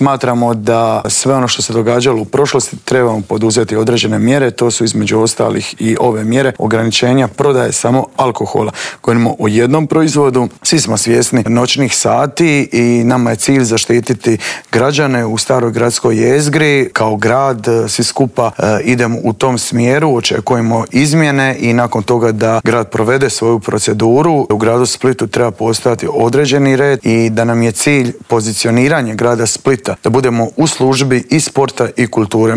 Smatramo da sve ono što se događalo u prošlosti trebamo poduzeti određene mjere, to su između ostalih i ove mjere ograničenja prodaje samo alkohola. Govorimo o jednom proizvodu, svi smo svjesni noćnih sati i nama je cilj zaštititi građane u Staroj gradskoj jezgri. Kao grad svi skupa idemo u tom smjeru, očekujemo izmjene i nakon toga da grad provede svoju proceduru. U gradu Splitu treba postojati određeni red i da nam je cilj pozicioniranje grada Splita, da budemo u službi i sporta i kulture.